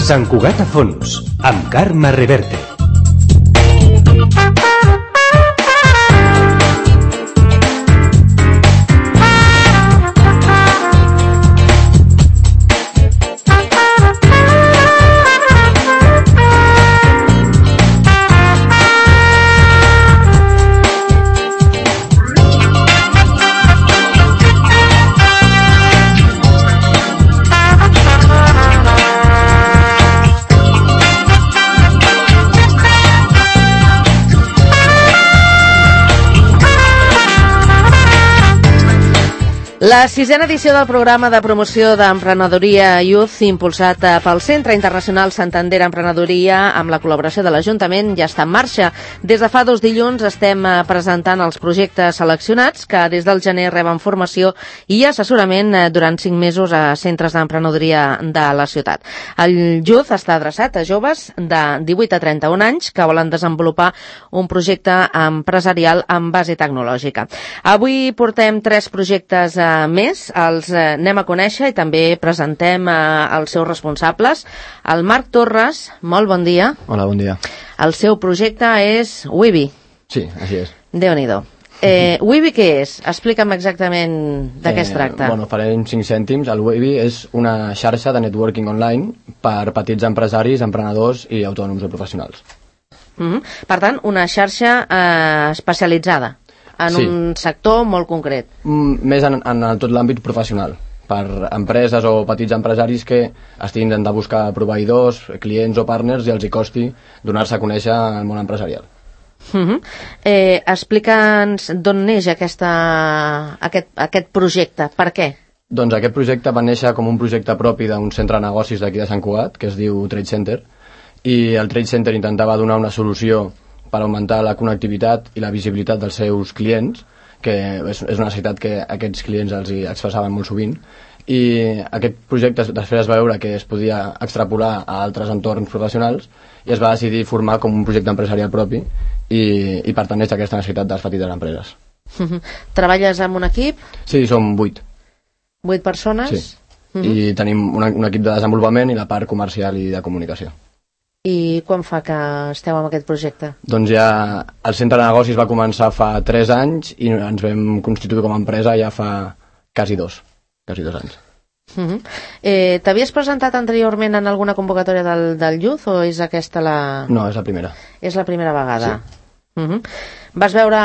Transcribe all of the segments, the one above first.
Sant Cugat a fons, amb Carme Reverte. La sisena edició del programa de promoció d'emprenedoria Youth impulsat pel Centre Internacional Santander Emprenedoria amb la col·laboració de l'Ajuntament ja està en marxa. Des de fa 2 dilluns estem presentant els projectes seleccionats que des del gener reben formació i assessorament durant 5 mesos a centres d'emprenedoria de la ciutat. El Youth està adreçat a joves de 18 a 31 anys que volen desenvolupar un projecte empresarial amb base tecnològica. Avui portem 3 projectes més, els anem a conèixer i també presentem els seus responsables. El Marc Torres, molt bon dia. Hola, bon dia. El seu projecte és Wibi. Sí, així és. Déu-n'hi-do. Wibi què és? Explica'm exactament de què es tracta. Bueno, farem 5 cèntims. El Wibi és una xarxa de networking online per petits empresaris, emprenedors i autònoms o professionals. Per tant, una xarxa especialitzada en un sector molt concret. Més en tot l'àmbit professional, per empreses o petits empresaris que estiguin de buscar proveïdors, clients o partners i els hi costi donar-se a conèixer al món empresarial. Explica'ns d'on neix aquest projecte, per què? Doncs aquest projecte va néixer com un projecte propi d'un centre de negocis d'aquí de Sant Cugat, que es diu Trade Center, i el Trade Center intentava donar una solució per augmentar la connectivitat i la visibilitat dels seus clients, que és una necessitat que aquests clients els hi expressaven molt sovint, i aquest projecte després es va veure que es podia extrapolar a altres entorns professionals i es va decidir formar com un projecte empresarial propi i per tant neix aquesta necessitat de les petites empreses. Treballes amb un equip? Sí, som 8. 8 persones? Sí, i tenim un equip de desenvolupament i la part comercial i de comunicació. I quan fa que esteu amb aquest projecte? Doncs ja el centre de negocis va començar fa 3 anys i ens vam constituir com a empresa ja fa quasi 2 anys. T'havies presentat anteriorment en alguna convocatòria del Youth o és aquesta la... No, és la primera. És la primera vegada? Sí. Vas veure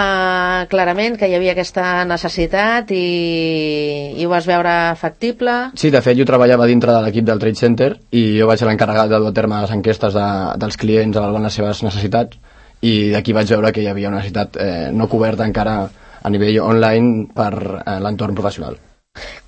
clarament que hi havia aquesta necessitat i ho vas veure factible? Sí, de fet jo treballava dintre de l'equip del Trade Center i jo vaig ser l'encarregat de dur a terme les enquestes dels clients avaluant les seves necessitats i d'aquí vaig veure que hi havia una necessitat no coberta encara a nivell online per l'entorn professional.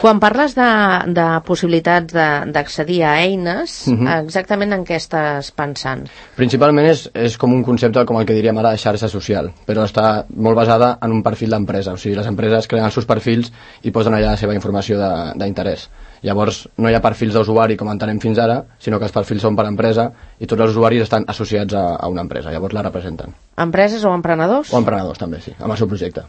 Quan parles de possibilitats d'accedir a eines, exactament en què estàs pensant? Principalment és com un concepte com el que diríem ara de xarxa social, però està molt basada en un perfil d'empresa. O sigui, les empreses creen els seus perfils i posen allà la seva informació d'interès. Llavors, no hi ha perfils d'usuari com entenem fins ara, sinó que els perfils són per empresa i tots els usuaris estan associats a una empresa, llavors la representen. Empreses o emprenedors? O emprenedors també, sí, amb el seu projecte.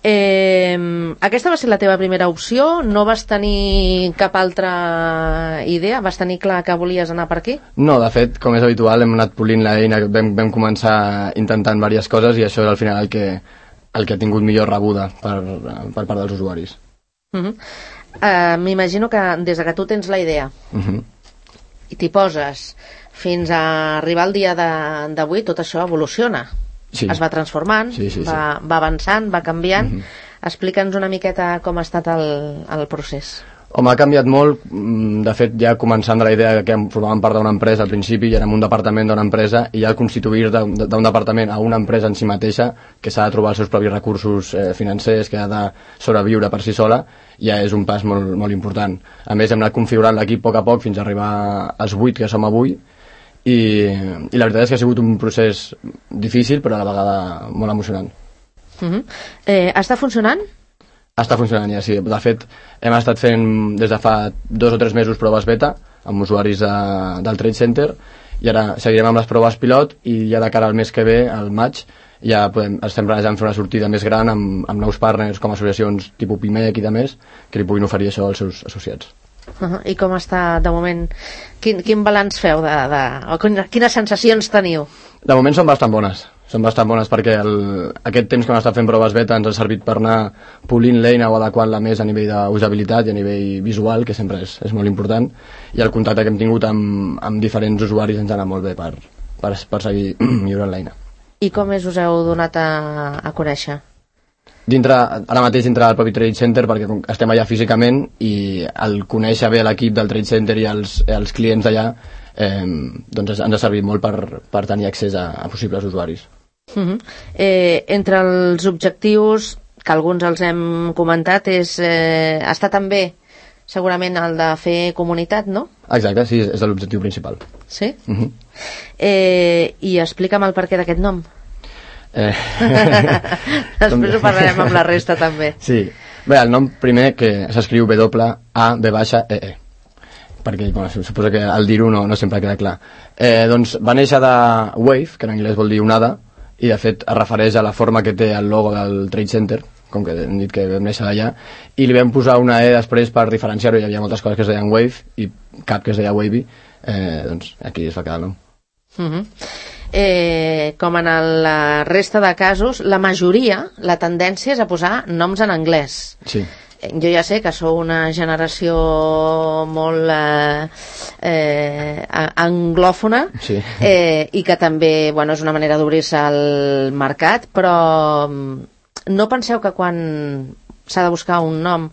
Aquesta va ser la teva primera opció? No vas tenir cap altra idea? Vas tenir clar que volies anar per aquí? No, de fet, com és habitual, hem anat polint l'eina, vam començar intentant diverses coses i això és al final el que ha tingut millor rebuda per part dels usuaris. M'imagino que des que tu tens la idea i t'hi poses fins a arribar al dia d'avui, tot això evoluciona. Sí. Es va transformant, va avançant, va canviant. Explica'ns una miqueta com ha estat el procés. Home, ha canviat molt. De fet, ja començant de la idea que formàvem part d'una empresa al principi, ja érem un departament d'una empresa, i ja constituir d'un departament a una empresa en si mateixa, que s'ha de trobar els seus propis recursos financers, que ha de sobreviure per si sola, ja és un pas molt, molt important. A més, hem anat configurant l'equip a poc a poc fins a arribar als 8 que som avui, i la veritat és que ha sigut un procés difícil però a la vegada molt emocionant. Està funcionant? Està funcionant ja, sí. De fet, hem estat fent des de fa 2 o 3 mesos proves beta amb usuaris del Trade Center i ara seguirem amb les proves pilot i ja de cara al mes que ve, al maig, ja estem planejant fer una sortida més gran amb nous partners com associacions tipus PIMEC i de més que li puguin oferir això als seus associats. I com està de moment? Quin balanç feu o quines sensacions teniu? De moment són bastant bones perquè aquest temps que hem estat fent proves beta ens ha servit per anar polint l'eina o adequant-la més a nivell d'usabilitat i a nivell visual, que sempre és molt important, i el contacte que hem tingut amb diferents usuaris ens ha anat molt bé per seguir millorant l'eina. I com us heu donat a conèixer? Ara mateix dintre del propi Trade Center, perquè estem allà físicament, i el conèixer bé l'equip del Trade Center i els clients d'allà doncs ens ha servit molt per tenir accés a possibles usuaris. Entre els objectius, que alguns els hem comentat, està també segurament el de fer comunitat, no? Exacte, sí, és l'objectiu principal. Sí? I explica'm el perquè d'aquest nom. Després ho parlarem amb la resta també. Sí, bé, el nom primer que s'escriu W-A-V-E-E, perquè suposo que al dir-ho no sempre queda clar. Doncs va néixer de Wave, que en anglès vol dir onada, i de fet es refereix a la forma que té el logo del Trade Center, com que hem dit que vam néixer d'allà, i li vam posar una E després per diferenciar-ho. Hi havia moltes coses que es deien Wave i cap que es deia Wavy, doncs aquí es va quedar el nom. Com en la resta de casos, la majoria, la tendència és a posar noms en anglès. Sí. Jo ja sé que sou una generació molt anglòfona, sí. I que també és una manera d'obrir-se al mercat, però no penseu que quan s'ha de buscar un nom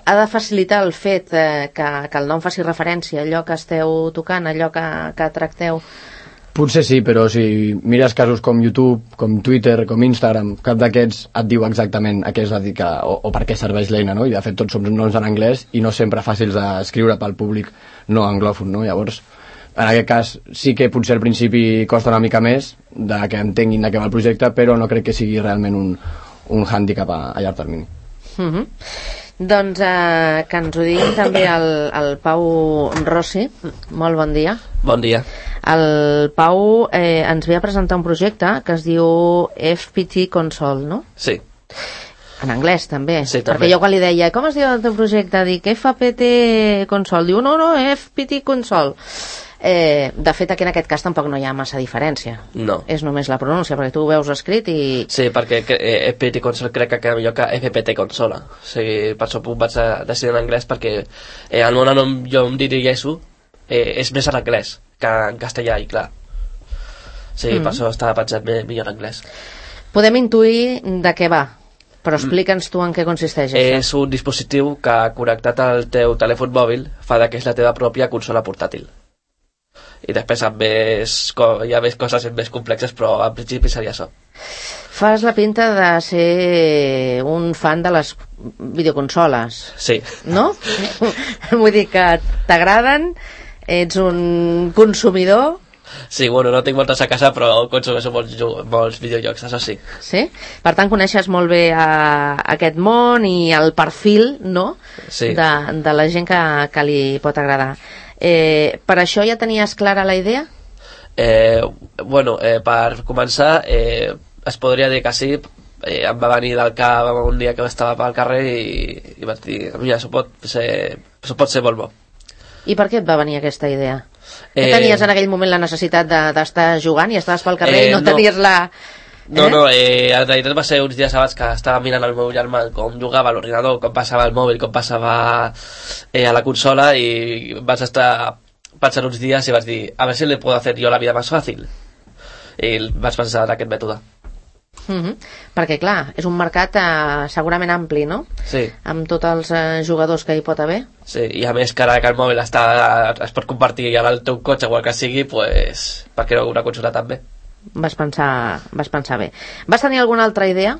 ha de facilitar el fet que el nom faci referència a allò que esteu tocant, a allò que tracteu? Potser sí, però si mires casos com YouTube, com Twitter, com Instagram, cap d'aquests et diu exactament a què es dedica o per què serveix l'eina, no? I de fet tots som noms en anglès i no sempre fàcils d'escriure pel públic no anglòfon, no? Llavors, en aquest cas sí que potser al principi costa una mica més de que entenguin de què va el projecte, però no crec que sigui realment un hàndicap a llarg termini. Doncs que ens ho digui també el Pau Rossi. Molt bon dia. Bon dia. El Pau ens ve a presentar un projecte que es diu FPT Console, no? Sí. En anglès també. Sí, també. Perquè jo quan li deia com es diu el teu projecte, dic FPT Console, diu no, FPT Console. De fet aquí en aquest cas tampoc no hi ha massa diferència. No. És només la pronúncia, perquè tu ho veus escrit i... Sí, perquè FPT Console crec que queda millor que FPT Consola. O sigui, per això vaig decidir en anglès, perquè el meu nom jo em dirigeixo és més en anglès que en castellà, i clar. Sí, per això estava pensant millor en anglès. Podem intuir de què va, però explica'ns tu en què consisteix això. És un dispositiu que connectat al teu telèfon mòbil fa que és la teva pròpia consola portàtil. I després hi ha més coses més complexes, però en principi seria això. Fas la pinta de ser un fan de les videoconsoles. Sí. No? Vull dir que t'agraden, ets un consumidor. Sí, bueno, no tinc moltes a casa, però consumeixo molts videojocs, això sí. Sí? Per tant, coneixes molt bé aquest món i el perfil, no? Sí. De la gent que li pot agradar. Per això ja tenies clara la idea? Bueno, per començar, es podria dir que sí. Em va venir del cap un dia que estava pel carrer i vaig dir, mira, això pot ser molt bo. I per què et va venir aquesta idea? Que tenies en aquell moment la necessitat d'estar jugant i estaves pel carrer i no tenies la... No, en realitat va ser uns dies abans que estava mirant el meu germà com jugava a l'ordinador, com passava el mòbil, com passava a la consola, i vaig estar pensant uns dies i vaig dir, a veure si li puedo hacer yo la vida más fácil. I vaig pensar en aquest mètode. Perquè clar, és un mercat segurament ampli, no? Sí. Amb tots els jugadors que hi pot haver. Sí, i a més que ara que el mòbil es pot compartir ara el teu cotxe o el que sigui, pues, per què no una consola també? Vas pensar bé. Vas tenir alguna altra idea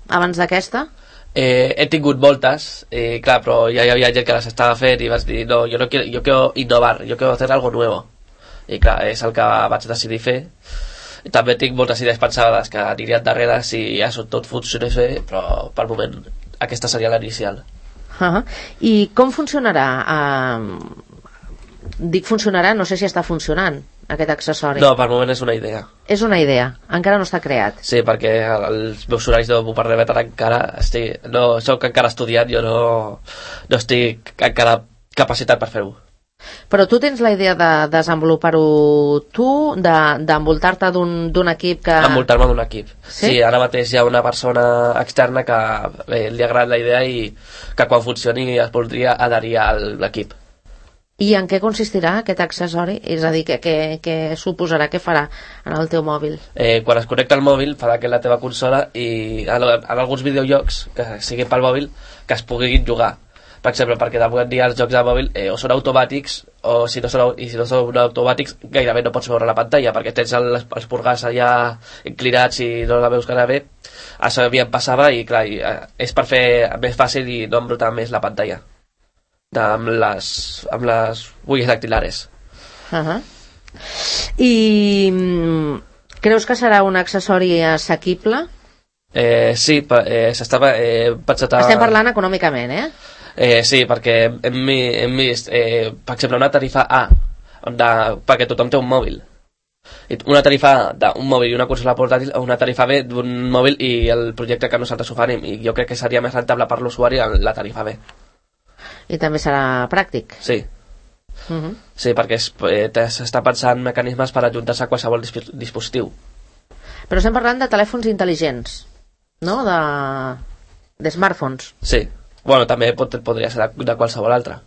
abans d'aquesta? He tingut moltes, clar, però ja hi havia gent que les estava fent i vaig dir, no, yo quiero innovar, yo quiero hacer algo nuevo. I clar, és el que vaig decidir fer. I també tinc moltes idees pensades que anirien darrere si ja tot funcionés bé, però pel moment aquesta seria l'inicial. I com funcionarà? Dic funcionarà, no sé si està funcionant aquest accessori. No, per moment és una idea. És una idea, encara no està creat. Sí, perquè els meus horaris no m'ho permeten encara. Soc encara estudiant, jo no estic encara capacitat per fer-ho. Però tu tens la idea de desenvolupar-ho tu, d'envoltar-te d'un equip que... Envoltar-me d'un equip. Sí? Sí, ara mateix hi ha una persona externa que li ha agradat la idea i que quan funcioni es voldria adherir a l'equip. I en què consistirà aquest accessori? És a dir, què suposarà, què farà en el teu mòbil? Quan es connecta al mòbil farà que la teva consola i en alguns videojocs que siguin pel mòbil que es puguin jugar. Per exemple, perquè d'avui en dia els jocs de mòbil o són automàtics o si no són automàtics gairebé no pots veure la pantalla perquè tens els purgars allà inclinats i no la veus cara bé. Això a mi em passava i clar, és per fer més fàcil i no embrutar més la pantalla amb les huellas dactilares. I creus que serà un accessori assequible? Sí, s'estava pensat a... Estem parlant econòmicament, sí, perquè hem vist, per exemple, una tarifa A perquè tothom té un mòbil. Una tarifa A d'un mòbil i una consola portàtil o una tarifa B d'un mòbil i el projecte que nosaltres oferim. I jo crec que seria més rentable per l'usuari la tarifa B. I també serà pràctic? Sí. Sí, perquè s'està pensant mecanismes per ajuntar-se a qualsevol dispositiu. Però estem parlant de telèfons intel·ligents, no? De smartphones. Sí. Bueno, també podria ser de qualsevol altre.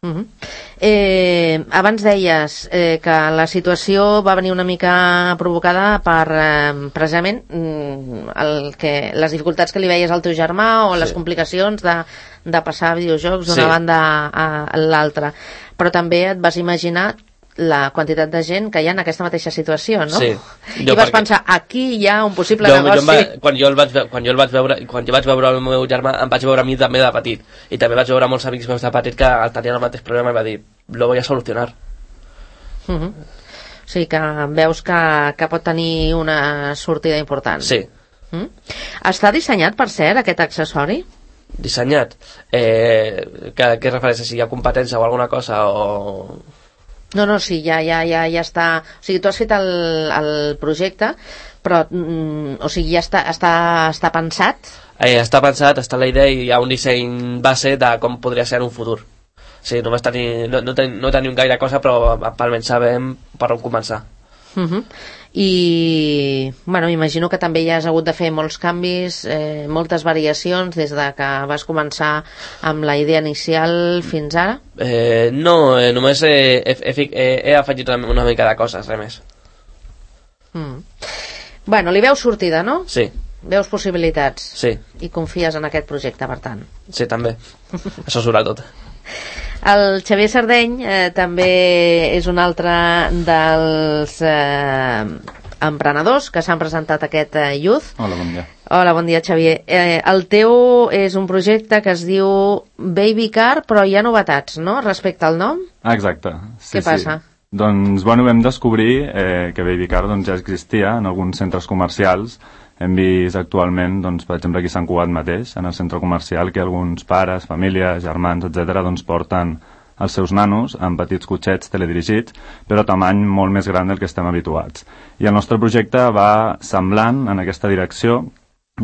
Abans deies que la situació va venir una mica provocada per precisament les dificultats que li veies al teu germà o les complicacions de passar videojocs d'una banda a l'altra, però també et vas imaginar la quantitat de gent que hi ha en aquesta mateixa situació, no? Sí. I vas pensar, aquí hi ha un possible negoci. Quan jo vaig veure el meu germà, em vaig veure a mi també de petit. I també vaig veure molts amics meus de petit que tenien el mateix problema i va dir, lo voy a solucionar. O sigui que veus que pot tenir una sortida important. Sí. Està dissenyat, per cert, aquest accessori? Dissenyat? Què refereix? Si hi ha competència o alguna cosa o... No, sí, ja està... O sigui, tu has fet el projecte, però o sigui, ja està pensat? Està pensat, està la idea i hi ha un disseny base de com podria ser en un futur. Sí, només no tenim gaire cosa, però almenys sabem per on començar. I, bueno, imagino que també ja has hagut de fer molts canvis, moltes variacions des de que vas començar amb la idea inicial fins ara? No, només he afegit una mica de coses, res més. Bueno, li veus sortida, no? Sí. Veus possibilitats? Sí. I confies en aquest projecte, per tant? Sí, també. Això sobretot. El Xavier Sardeny també és un altre dels emprenedors que s'han presentat a aquest Youth. Hola, bon dia. Hola, bon dia, Xavier. El teu és un projecte que es diu Baby Car, però hi ha novetats, no?, respecte al nom? Exacte. Sí, què passa? Sí. Doncs, bueno, vam descobrir que Baby Car ja existia en alguns centres comercials. Hem vist actualment, doncs, per exemple, aquí a Sant Cugat mateix, en el centre comercial, que alguns pares, famílies, germans, etc., doncs, porten els seus nanos en petits cotxets teledirigits, però a tamany molt més gran del que estem habituats. I el nostre projecte va semblant en aquesta direcció,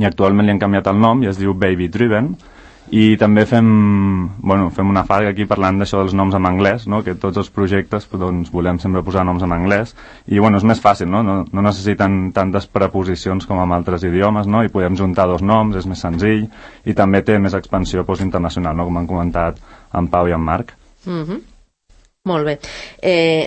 i actualment li han canviat el nom i es diu Baby Driven, i també fem una farga aquí parlant d'això dels noms en anglès, no? Que tots els projectes doncs, volem sempre posar noms en anglès i és més fàcil, no necessiten tantes preposicions com en altres idiomes, no? I podem juntar dos noms, és més senzill i també té més expansió internacional, no? Com han comentat en Pau i en Marc. Molt bé.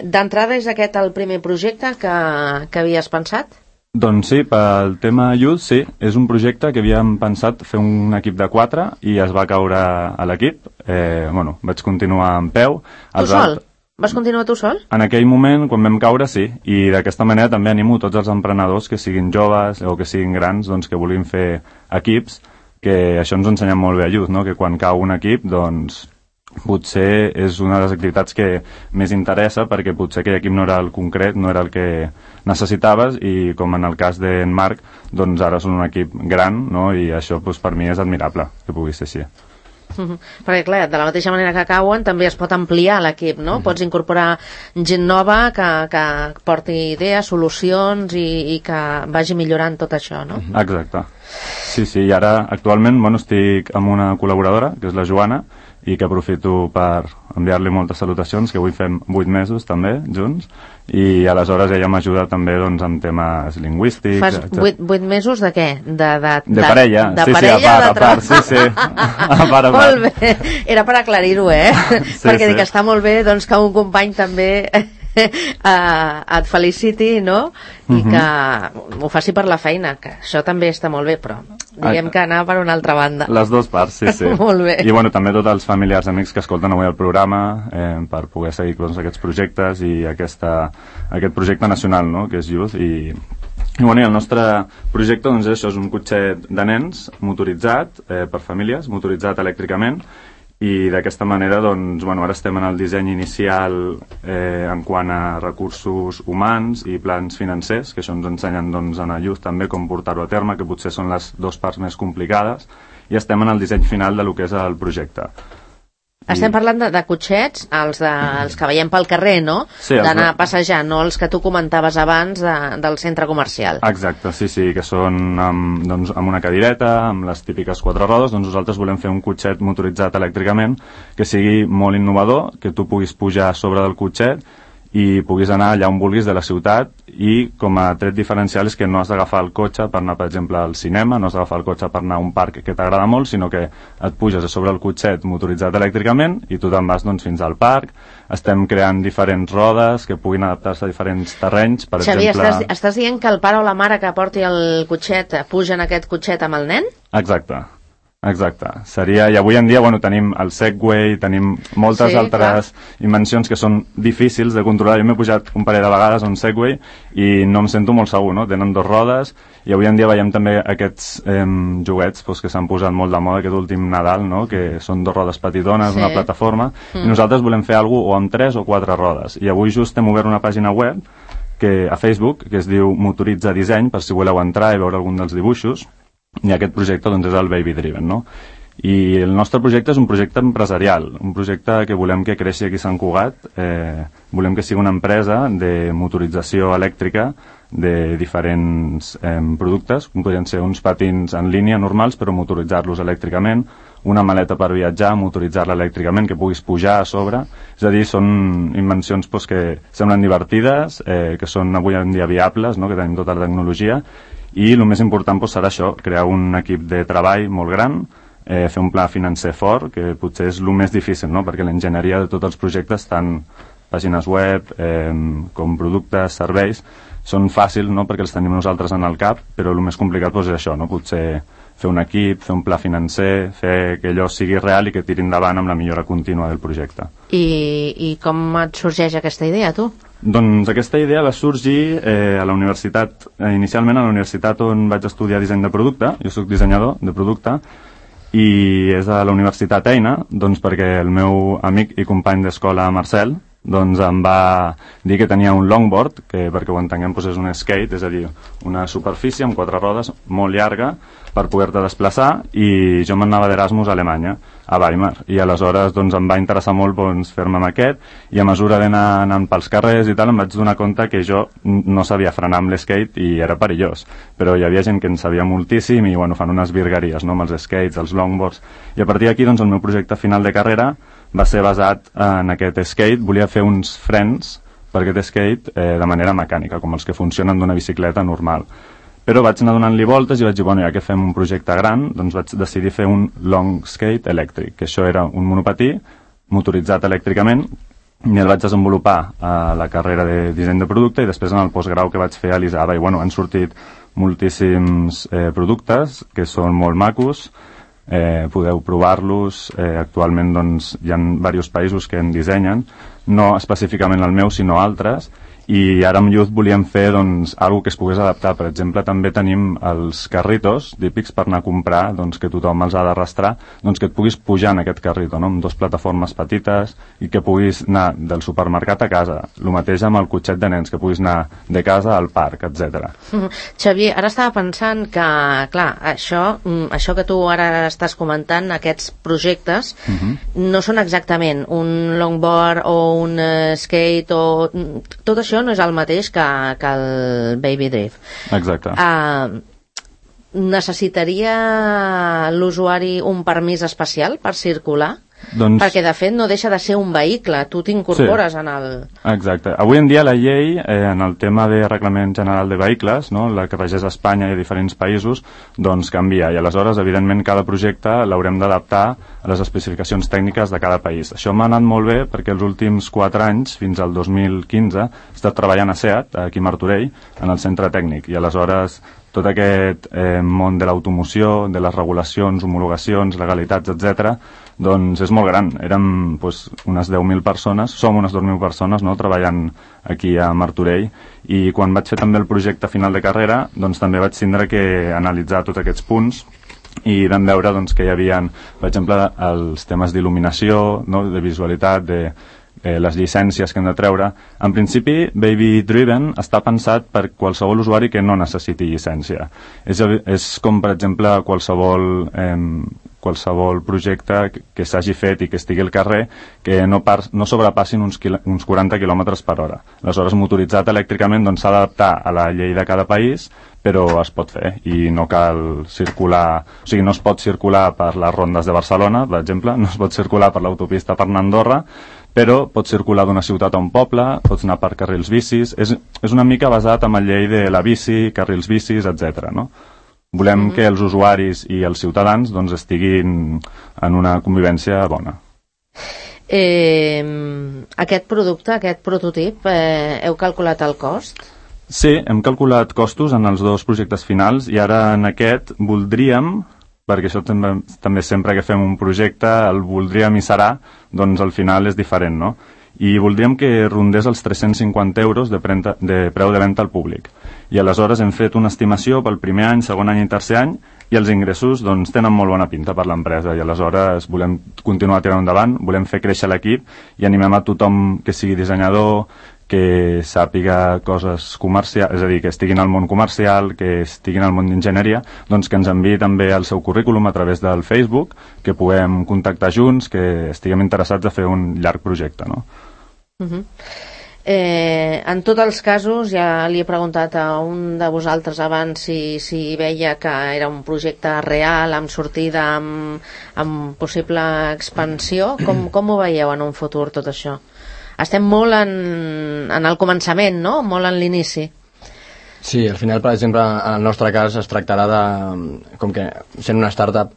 D'entrada és aquest el primer projecte que havies pensat? Doncs sí, pel tema Youth, sí. És un projecte que havíem pensat fer un equip de 4 i es va caure a l'equip. Vaig continuar en peu. Tu sol? Vas continuar tu sol? En aquell moment, quan vam caure, sí. I d'aquesta manera també animo tots els emprenedors que siguin joves o que siguin grans, doncs que vulguin fer equips, que això ens ensenya molt bé a Youth, no? Que quan cau un equip, doncs potser és una de les activitats que més interessa perquè potser aquell equip no era el concret, no era el que necessitaves i com en el cas d'en Marc, doncs ara són un equip gran, no? I això doncs, per mi és admirable que pugui ser així. Perquè clar, de la mateixa manera que cauen també es pot ampliar l'equip, no? Pots incorporar gent nova que porti idees, solucions i que vagi millorant tot això, no? Exacte. Sí, i ara actualment estic amb una col·laboradora, que és la Joana, i que aprofito per enviar-li moltes salutacions, que avui fem 8 mesos també, junts, i aleshores ella m'ajuda també doncs, amb temes lingüístics. Fas 8 mesos de què? De parella, de sí, parella, a part, sí. A part. Molt bé, era per aclarir-ho, Sí, perquè dic sí. que està molt bé doncs, que un company també et feliciti, no? I que ho faci per la feina, que això també està molt bé, però diguem que anar per una altra banda. Les dues parts, sí. Molt bé. I bueno, també tots els familiars, amics que escolten avui el programa per poder seguir doncs, aquests projectes i aquest projecte nacional, no?, que és Youth. I bueno, el nostre projecte doncs, això és un cotxet de nens motoritzat per famílies, motoritzat elèctricament, i d'aquesta manera doncs, bueno, ara estem en el disseny inicial en quant a recursos humans i plans financers, que això ens ensenyen doncs, en el Youth també com portar-ho a terme, que potser són les dues parts més complicades, i estem en el disseny final de lo que és el projecte. Estem parlant de cotxets, els que veiem pel carrer, no? Sí, d'anar passejant, no els que tu comentaves abans del centre comercial. Exacte, sí, que són amb una cadireta, amb les típiques 4 rodes. Doncs nosaltres volem fer un cotxet motoritzat elèctricament que sigui molt innovador, que tu puguis pujar a sobre del cotxet i puguis anar allà on vulguis de la ciutat, i com a tret diferencial és que no has d'agafar el cotxe per anar, per exemple, al cinema, no has d'agafar el cotxe per anar a un parc que t'agrada molt, sinó que et puges a sobre el cotxet motoritzat elèctricament i tu te'n vas doncs, fins al parc. Estem creant diferents rodes que puguin adaptar-se a diferents terrenys, per Xavi, exemple... estàs dient que el pare o la mare que porti el cotxet puja en aquest cotxet amb el nen? Exacte. Seria, i avui en dia bueno, tenim el Segway, tenim moltes altres invencions que són difícils de controlar. Jo m'he pujat un parell de vegades a un Segway i no em sento molt segur, no? Tenen 2 rodes, i avui en dia veiem també aquests joguets que s'han posat molt de moda aquest últim Nadal, no? Que són 2 rodes petitones, una plataforma, i nosaltres volem fer alguna cosa o amb 3 o 4 rodes, i avui just hem obert una pàgina web a Facebook que es diu Motoritza Disseny, per si voleu entrar i veure algun dels dibuixos. I aquest projecte doncs, és el Baby Driven, no? I el nostre projecte és un projecte empresarial, un projecte que volem que creixi aquí a Sant Cugat. Volem que sigui una empresa de motorització elèctrica de diferents productes, com podrien ser uns patins en línia normals, però motoritzar-los elèctricament, una maleta per viatjar, motoritzar-la elèctricament, que puguis pujar a sobre. És a dir, són invencions que semblen divertides, que són avui en dia viables, no? Que tenim tota la tecnologia, i el més important serà això, crear un equip de treball molt gran, fer un pla financer fort, que potser és el més difícil, no? Perquè l'enginyeria de tots els projectes, tant pàgines web com productes, serveis, són fàcils, no? Perquè els tenim nosaltres en el cap, però el més complicat és això, no? Potser fer un equip, fer un pla financer, fer que allò sigui real i que tiri endavant amb la millora contínua del projecte. I com et sorgeix aquesta idea, tu? Doncs aquesta idea va sorgir a la universitat, inicialment a la universitat on vaig estudiar disseny de producte. Jo soc dissenyador de producte, i és a la Universitat Eina, doncs perquè el meu amic i company d'escola Marcel doncs em va dir que tenia un longboard, que perquè ho entenguem doncs és un skate, és a dir, una superfície amb 4 rodes molt llarga per poder-te desplaçar, i jo m'anava d'Erasmus a Alemanya, a Weimar, i aleshores doncs, em va interessar molt doncs, fer-me amb aquest, i a mesura d'anar anant pels carrers i tal em vaig donar compte que jo no sabia frenar amb l'skate i era perillós, però hi havia gent que en sabia moltíssim i bueno, fan unes virgueries, no?, amb els skates, els longboards, i a partir d'aquí doncs, el meu projecte final de carrera va ser basat en aquest skate. Volia fer uns frens per aquest skate de manera mecànica, com els que funcionen d'una bicicleta normal. Però vaig anar donant-li voltes i vaig dir, bueno, ja que fem un projecte gran, doncs vaig decidir fer un long skate elèctric, que això era un monopatí motoritzat elèctricament, i el vaig desenvolupar a la carrera de disseny de producte i després en el postgrau que vaig fer a l'ISABA. I bueno, han sortit moltíssims productes que són molt macos, podeu provar-los. Actualment doncs, hi ha diversos països que en dissenyen, no específicament el meu sinó altres, i ara amb Youth volíem fer doncs, alguna que es pogués adaptar. Per exemple, també tenim els carritos típics per anar a comprar, doncs, que tothom els ha d'arrastrar, doncs, que et puguis pujar en aquest carrito, no? Amb 2 plataformes petites i que puguis anar del supermercat a casa. El mateix amb el cotxet de nens, que puguis anar de casa al parc, etc. Xavier, ara estava pensant que, clar, això que tu ara estàs comentant, aquests projectes, no són exactament un longboard o un skate o... Tot això no és el mateix que el Baby Drift. Exacte. Necessitaria l'usuari un permís especial per circular? Perquè, de fet, no deixa de ser un vehicle, tu t'incorpores en el... Exacte. Avui en dia la llei, en el tema de Reglament General de Vehicles, no, la que regeix a Espanya i a diferents països, doncs canvia, i aleshores, evidentment, cada projecte l'haurem d'adaptar a les especificacions tècniques de cada país. Això m'ha anat molt bé perquè els últims 4 anys, fins al 2015, he estat treballant a SEAT, aquí a Martorell, en el centre tècnic, i aleshores tot aquest món de l'automoció, de les regulacions, homologacions, legalitats, etc., doncs és molt gran. Érem unes 10.000 persones, som unes 2.000 persones, no?, treballant aquí a Martorell, i quan vaig fer també el projecte final de carrera, doncs també vaig tindre que analitzar tots aquests punts, i vam veure doncs, que hi havia, per exemple, els temes d'il·luminació, no?, de visualitat, de les llicències que hem de treure. En principi, Baby Driven està pensat per qualsevol usuari que no necessiti llicència. És com, per exemple, qualsevol projecte que s'hagi fet i que estigui al carrer que no sobrepassin uns 40 km per hora. Aleshores, motoritzat elèctricament s'ha d'adaptar a la llei de cada país, però es pot fer i no cal circular, o sigui, no es pot circular per les rondes de Barcelona, per exemple, no es pot circular per l'autopista per anar a Andorra, però pots circular d'una ciutat a un poble, pots anar per carrils bicis, és una mica basat en la llei de la bici, carrils bicis, etc. No? Volem que els usuaris i els ciutadans doncs, estiguin en una convivència bona. Aquest producte, aquest prototip, heu calculat el cost? Sí, hem calculat costos en els 2 projectes finals i ara en aquest voldríem, perquè això també sempre que fem un projecte el voldríem i serà, doncs al final és diferent, no? I voldríem que rondés els 350 euros de preu de venda al públic. I aleshores hem fet una estimació pel primer any, segon any i tercer any, i els ingressos doncs, tenen molt bona pinta per l'empresa, i aleshores volem continuar tirant endavant, volem fer créixer l'equip i animem a tothom que sigui dissenyador, que sàpiga coses comercials, és a dir, que estiguin al món comercial, que estiguin al món d'enginyeria, doncs que ens enviï també el seu currículum a través del Facebook, que puguem contactar junts, que estiguem interessats a fer un llarg projecte, no? En tots els casos, ja li he preguntat a un de vosaltres abans si veia que era un projecte real, amb sortida, amb possible expansió. Com ho veieu en un futur tot això? Estem molt en el començament, no? Molt en l'inici. Sí, al final, per exemple, en el nostre cas es tractarà de, com que sent una startup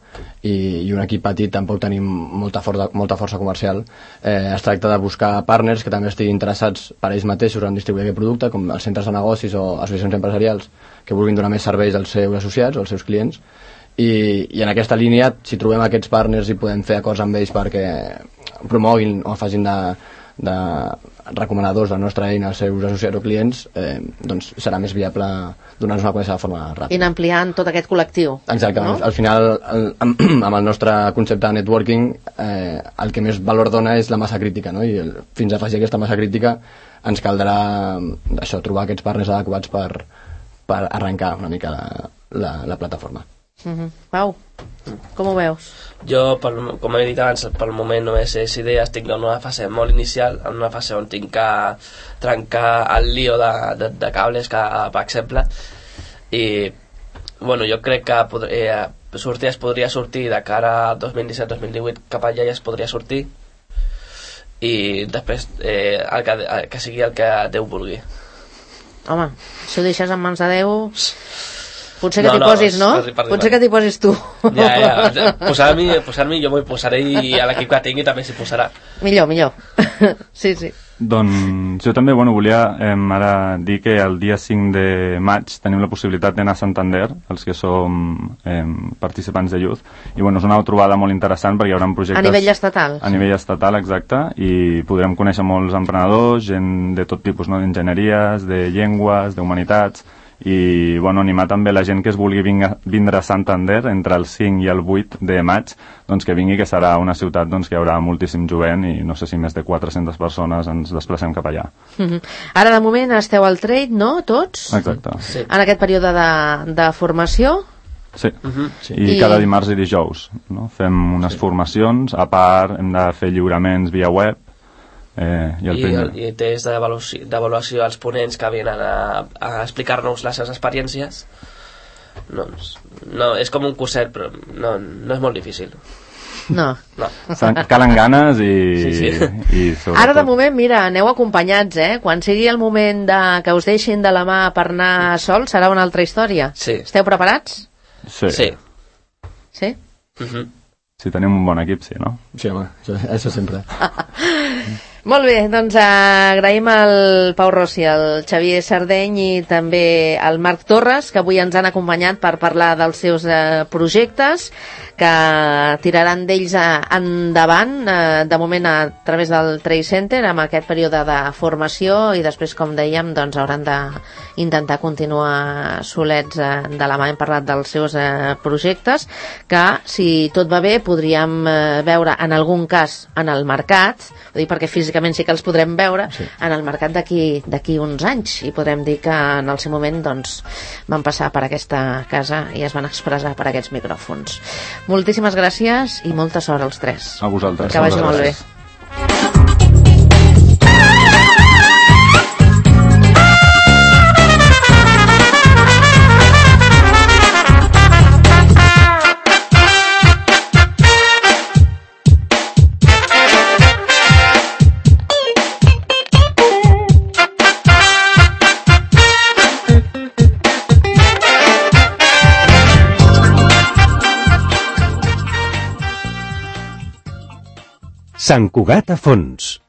i un equip petit tampoc tenim molta força comercial, es tracta de buscar partners que també estiguin interessats per ells mateixos en distribuir aquest producte, com els centres de negocis o associacions empresarials que vulguin donar més serveis als seus associats o als seus clients. I en aquesta línia, si trobem aquests partners i podem fer acords amb ells perquè promoguin o facin de recomanadors de la nostra eina als seus associats o clients, doncs serà més viable donar-nos una connexió de forma ràpida. I ampliant tot aquest col·lectiu. Exacte, no? Al final, amb el nostre concepte de networking, el que més valor dona és la massa crítica, no? I fins a afegir aquesta massa crítica ens caldrà això, trobar aquests partners adequats per arrencar una mica la plataforma. Pau, com ho veus? Jo, com he dit abans, pel moment només és idea, estic en una fase molt inicial, en una fase on tinc que trencar el lío de cables, per exemple, i bueno, jo crec que es podria sortir de cara a 2017-2018, cap allà ja es podria sortir, i després que sigui el que Déu vulgui. Home, si ho deixes en mans de Déu... Potser que t'hi posis, no? Potser que t'hi posis tu. Ja. Posar-m'hi jo m'hi posaré i a l'equip que tingui també s'hi posarà. Millor. Sí. Doncs jo també volia ara dir que el dia 5 de maig tenim la possibilitat d'anar a Santander, els que som participants de Youth, i és una trobada molt interessant perquè hi haurà projectes... A nivell estatal. A nivell estatal, exacte, i podrem conèixer molts emprenedors, gent de tot tipus, no? D'enginyeries, de llengües, d'humanitats, i animar també la gent que es vulgui vindre a Santander entre el 5 i el 8 de maig, doncs que vingui, que serà una ciutat doncs, que hi haurà moltíssim jovent i no sé si més de 400 persones ens desplacem cap allà. Ara de moment esteu al trade, no? Tots? Exacte. Sí. En aquest període de formació? Sí. I cada dimarts i dijous, no? Fem unes formacions, a part hem de fer lliuraments via web, i test d'avaluació als ponents que venen a explicar-nos les seves experiències. No, és com un curset, però no és molt difícil. No. Calen ganes i... Sí. i sobretot... Ara, de moment, mira, aneu acompanyats, Quan sigui el moment que us deixin de la mà per anar sols, serà una altra història. Sí. Esteu preparats? Sí. Sí? Si tenim un bon equip, sí, no? Sí, home, això sempre. Molt bé, doncs agraïm al Pau Rossi, al Xavier Sardeny i també al Marc Torres, que avui ens han acompanyat per parlar dels seus projectes, que tiraran d'ells endavant, de moment a través del Trade Center, amb aquest període de formació, i després, com dèiem, doncs hauran d'intentar continuar solets de la mà. Hem parlat dels seus projectes, que, si tot va bé, podríem veure en algun cas en el mercat, ho dic perquè físicament sí que els podrem veure, en el mercat d'aquí uns anys, i podrem dir que en el seu moment doncs, van passar per aquesta casa i es van expressar per aquests micròfons. Moltíssimes gràcies i molta sort als tres. A vosaltres. Que vagi molt bé. Sant Cugat a fons.